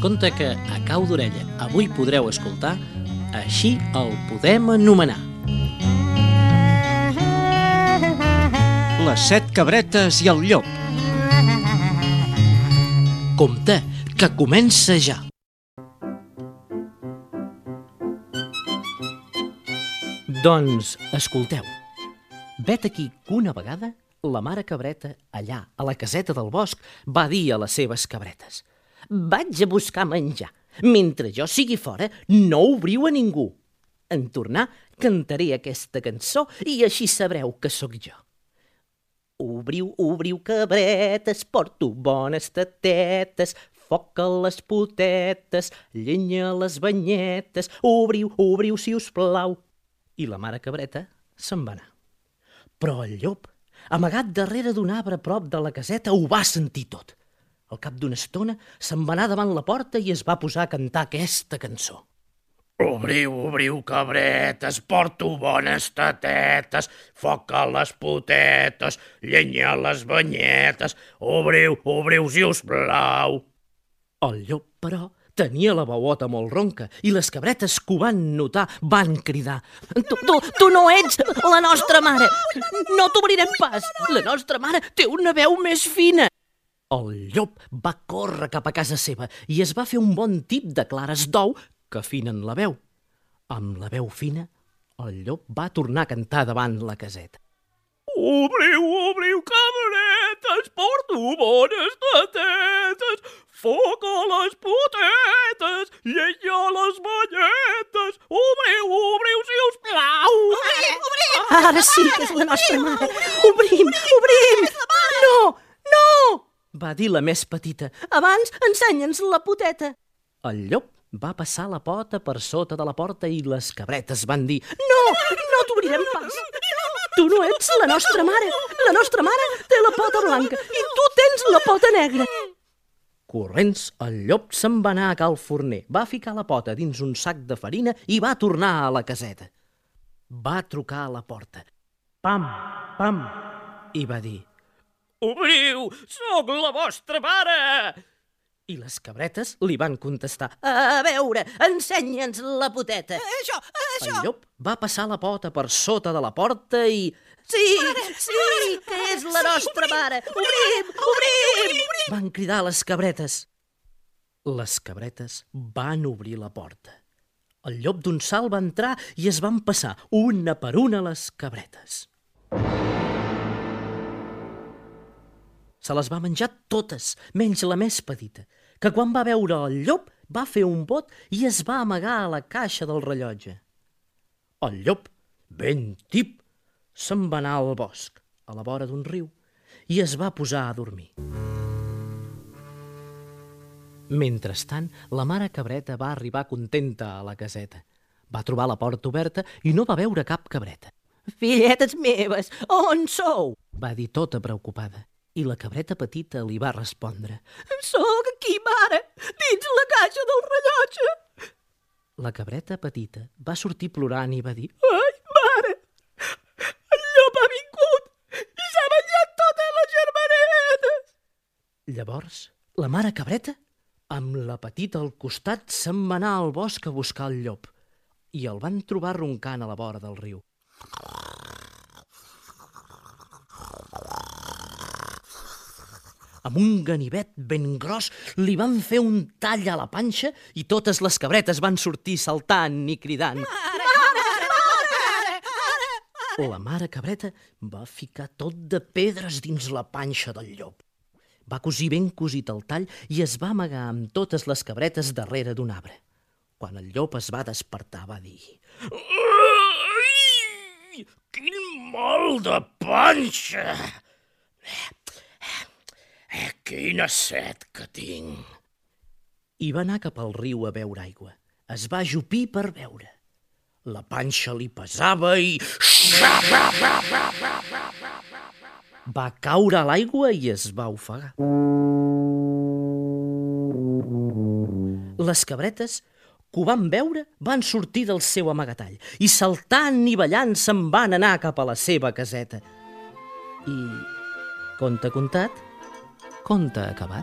conte que, a cau d'orella, avui podreu escoltar Així el podem anomenar. Les 7 cabretes i el llop. Compte, que comença ja. Doncs, escolteu. Vet aquí que una vegada la mare cabreta, allà, a la caseta del bosc, va dir a les seves cabretes: «Vaig a buscar menjar. Mentre jo sigui fora, no obriu a ningú. En tornar, cantaré aquesta cançó i així sabreu que sóc jo. Obriu, obriu, cabretes, porto bones tatetes, foc a les potetes, llenya a les banyetes, obriu, obriu, si us plau». I la mare cabreta se'n va anar. Però el llop, amagat darrere d'un arbre a prop de la caseta, ho va sentir tot. Al cap d'una estona se'n va anar davant la porta i es va posar a cantar aquesta cançó. Obriu, obriu, cabretes, porto bones tatetes, foc a les potetes, llenya a les banyetes, obriu, obriu, si us plau. El llop, però, tenia la veuota molt ronca i les cabretes que ho van notar van cridar: Tu no ets la nostra mare! No t'obrirem pas! La nostra mare té una veu més fina! El llop va córrer cap a casa seva i es va fer un bon tip de clares d'ou que afinen la veu. Amb la veu fina, el llop va tornar a cantar davant la caseta. Obriu, obriu, cabretes, porto bones tatetes, foc a les potetes, llenya a les banyetes, obriu, obriu, si us plau. Ara sí que és la nostra mare! Obrim, obrim! No, no! Va dir la més petita. Abans, ensenya'ns la poteta. El llop va passar la pota per sota de la porta i les cabretes van dir: No, no t'obrirem pas. Tu no ets la nostra mare. La nostra mare té la pota blanca i tu tens la pota negra. Corrents, el llop se'n va anar a cal forner, va ficar la pota dins un sac de farina i va tornar a la caseta. Va trucar a la porta. Pam, pam, i va dir: Obriu, sóc la vostra mare! I les cabretes li van contestar: A veure, ensenya'ns la poteta. Això! El llop va passar la pota per sota de la porta i... Sí, que és la nostra mare! Obrim, obrim! Van cridar les cabretes. Les cabretes van obrir la porta. El llop d'un salt va entrar i es van passar una per una les cabretes. Se les va menjar totes, menys la més petita, que quan va veure el llop va fer un bot i es va amagar a la caixa del rellotge. El llop, ben tip, se'n va anar al bosc, a la vora d'un riu, i es va posar a dormir. Mentrestant, la mare cabreta va arribar contenta a la caseta. Va trobar la porta oberta i no va veure cap cabreta. «Filletes meves, on sou?», va dir tota preocupada. I la cabreta petita li va respondre: «Sóc aquí, mare, dins la caixa del rellotge». La cabreta petita va sortir plorant i va dir: «Ai, mare, el llop ha vingut i s'ha menjat totes les germanetes». Llavors, la mare cabreta, amb la petita al costat, se'n va anar al bosc a buscar el llop i el van trobar roncant a la vora del riu. Amb un ganivet ben gros li van fer un tall a la panxa i totes les cabretes van sortir saltant i cridant: La mare cabreta va ficar tot de pedres dins la panxa del llop. Va cosir ben cosit el tall i es va amagar amb totes les cabretes darrere d'un arbre. Quan el llop es va despertar va dir: Ai, quin mal de panxa! Quina set que tinc! I va anar cap al riu a beure aigua. Es va ajupir per beure. La panxa li pesava i... Va caure a l'aigua i es va ofegar. Les cabretes, que ho van veure, van sortir del seu amagatall i saltant i ballant se'n van anar cap a la seva caseta. I, conte contat, conte acabat.